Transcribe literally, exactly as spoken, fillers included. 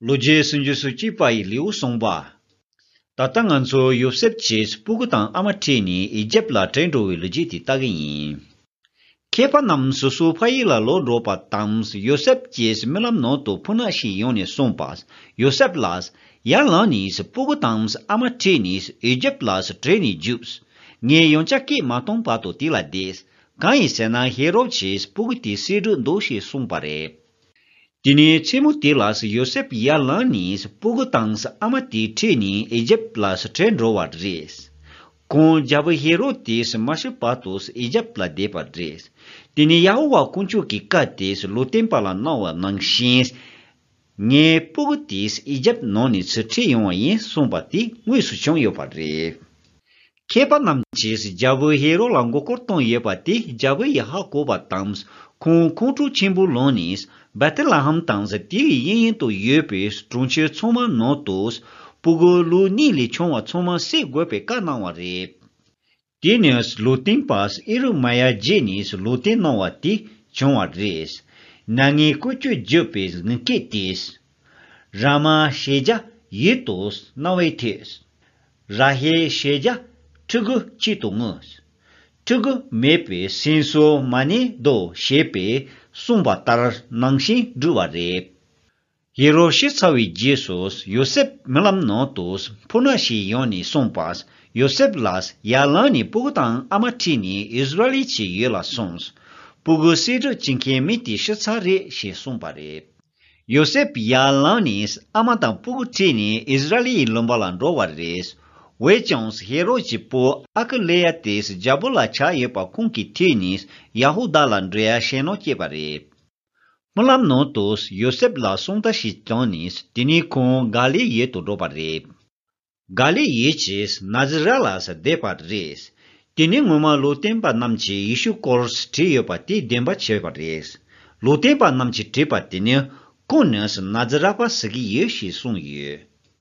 ལོ་རྒྱུས་སུམ་ཅུ་སོ་གཅིག་པ་ཡི་ལེའུ་གསུངས་པ། ད་ལྟ་ང་ཚོ་ཡོ་སེབ་ཀྱིས་སྤུ་གུ་དང་ཨ་མ་ཁྲིད་ནས་ཨི་ཇེབ་ལ་བྲོས་འགྲོ་བའི་ལོ་རྒྱུས་དེ་ལྟ་གི་ཡིན། མཁས་པ་རྣམས་སོ་སོའི་ཕ་ཡུལ་ལ་ལོག་འགྲོ་བ་དང་ཡོ་སེབ་ཀྱི་རྨི་ལམ་ནང་དུ་ཕོ་ཉ་ཞིག་ཡོང་ནས་གསུངས་པ། ཡོ་སེབ་ལ་ཡར་ལངས་ནས་སྤུ་གུ་དང་ཨ་མ་ཁྲིད་ནས་ཨི་ཇེབ་ལ་བྲོས་ནས་རྒྱུགས། ངས་ཡང་བསྐྱར་སྐད་མ་གཏོང་བར་དུ་དེ་ལ་བསྡད། གང་ཡིན་ཟེར་ན་ཧེ་རོད་ཀྱིས་སྤུ་གུ་དེ་བསད་འགྲོ་འདུག་ཞེས་གསུངས་པ་རེད། དེ་ནས་མཚན་མོ་དེ་ལ་ཡོ་སེབ་ཡར་ལངས་ནས་སྤུ་གུ་དང་ཨ་མ་དེ་ཁྲིད་ནས་ཨི་ཇེབ་ལ་བྲོས་འགྲོ་བ་རེད། ཁོང་རྒྱལ་པོ་ཧེ་རོད་དེས་མ་ཤི་བར་དུ་ཨི་ཇེབ་ལ་བསྡད་པ་རེད། དེ་ནས་ཡ་ཧོ་ཝཱ་དཀོན་མཆོག་གི་བཀའ་དེ་ལུང་སྟོན་པ་ལ་གནང་བ་ནང་བཞིན། ངའི་སྤུ་གུ་དེ་ཨི་ཇེབ་ནང་ནས་ཚུར་ཁྲིད་ཡོང་བ་ཡིན་གསུངས་པ་དེ་དངོས་སུ་བྱུང་ཡོད་པ་རེད། མཁས་པ་རྣམས་ཀྱིས་རྒྱལ་པོ་ཧེ་རོད་ལ་མགོ་སྐོར་བཏང་ཡོད་པ་དེ་རྒྱལ་པོ་ཡིས་ཧ་གོ་བ་དང་། ཁོང་ཁོང་ཁྲོ་ཆེན་པོ་ལངས་ནས་བེ་ཐེ་ལེ་ཧེམ་དང་དེའི་གཡས་གཡོན་དུ་ཡོད་པའི་གྲོང་ཁྱེར་ཚང་མ་ནང་དུ་སྤུ་གུ་ལོ་གཉིས་ལས་ཆུང་བ་ཚང་མ་བསད་དགོས་པའི་བཀའ་གནང་བ་རེད། དེ་ནས་ལུང་སྟོན་པ་ཨི་རུ་མ་ཡ་བརྒྱུད་ནས་ལུང་སྟོན་གནང་བ་དེ་བྱུང་བ་རེད། ནང་ངའི་ཀུ་ཅོ་བརྒྱབ་པའི་ངུ་སྐད་དེས། ར་མ་ཞེས་བྱ་ཡུལ་དུ་རྣ་བས་ཐོས། ར་ཧེལ་ཞེས་བྱ་ཕྲུ་གུ་ཆེད་དུ་ངུས། ཕྲུ་གུ་མེད་པའི་སེམས་གསོ་མ་ནི་དོ་ཞེས་པས་གསུངས་པ་ལྟར་ནང་བཞིན་བསྒྲུབས་པ་རེད། ཡེ་རོ་ཤི་ཚར་བའི་རྗེས་སུ་ཡོ་སེབ་རྨི་ལམ་ནང་དུ་ཕོ་ཉ་ཞིག་ཡོང་ནས་གསུངས་པ། ཡོ་སེབ་ལ་ཡར་ལངས་ནས་སྤུ་གུ་དང་ཨ་མ་ཁྲིད་ནས་ཨིསི་ར་ཨེལ་གྱི་ཡུལ་ལ་སོང་། སྤུ་གུ་བསད་གྲབས་བྱེད་མཁན་མི་དེ་ཤི་ཚར་རེད་ཞེས་གསུངས་པ་རེད། ཡོ་སེབ་ཡར་ལངས་ནས་ཨ་མ་དང་སྤུ་གུ་ཁྲིད་ནས་ཨིསི་ར་ཨེལ་ཡི་ལུང་པ་ལ་འགྲོ་བ་རེད། འོན་ཀྱང་ཧེ་རོད་ཀྱི་བུ་ཨ་ཀི་ལེ་ཡ་དེས་རྒྱལ་པོ་ལ་ཆགས་ཡོད་པ་ཁོང་གིས་ཐོས་ནས་ཡ་ཧུ་དཱ་ལ་འགྲོ་ཡ་ཞེད་སྣང་སྐྱེས་པ་རེད། རྨི་ལམ་ནང་དུ་ཡོ་སེབ་ལ་གསུང་བརྡ་ཞིག་བཏང་ནས་དེ་ནས་ཁོང་ག་ལིལ་ཡུལ་དུ་འགྲོ་བ་རེད། ག་ལིལ་ཡུལ་གྱི་ནཱ་ཛི་རད་ལ་བསྡད་པ་རེད། དེ་ནས་སྔོན་མ་ལུང་སྟོན་པ་རྣམས་ཀྱིས་ཡེ་ཤུ་སྐོར་བྲིས་ཡོད་པ་དེ་བདེན་པ་ཆགས་པ་རེད། ལུང་སྟོན་པ་རྣམས་ཀྱིས་བྲིས་པ་དེ་ནི་ཁོང་ནི་ནཱ་ཛི་རད་པ་ཟེར་གྱི་ཡོད་ཞེས་གསུངས་ཡོད།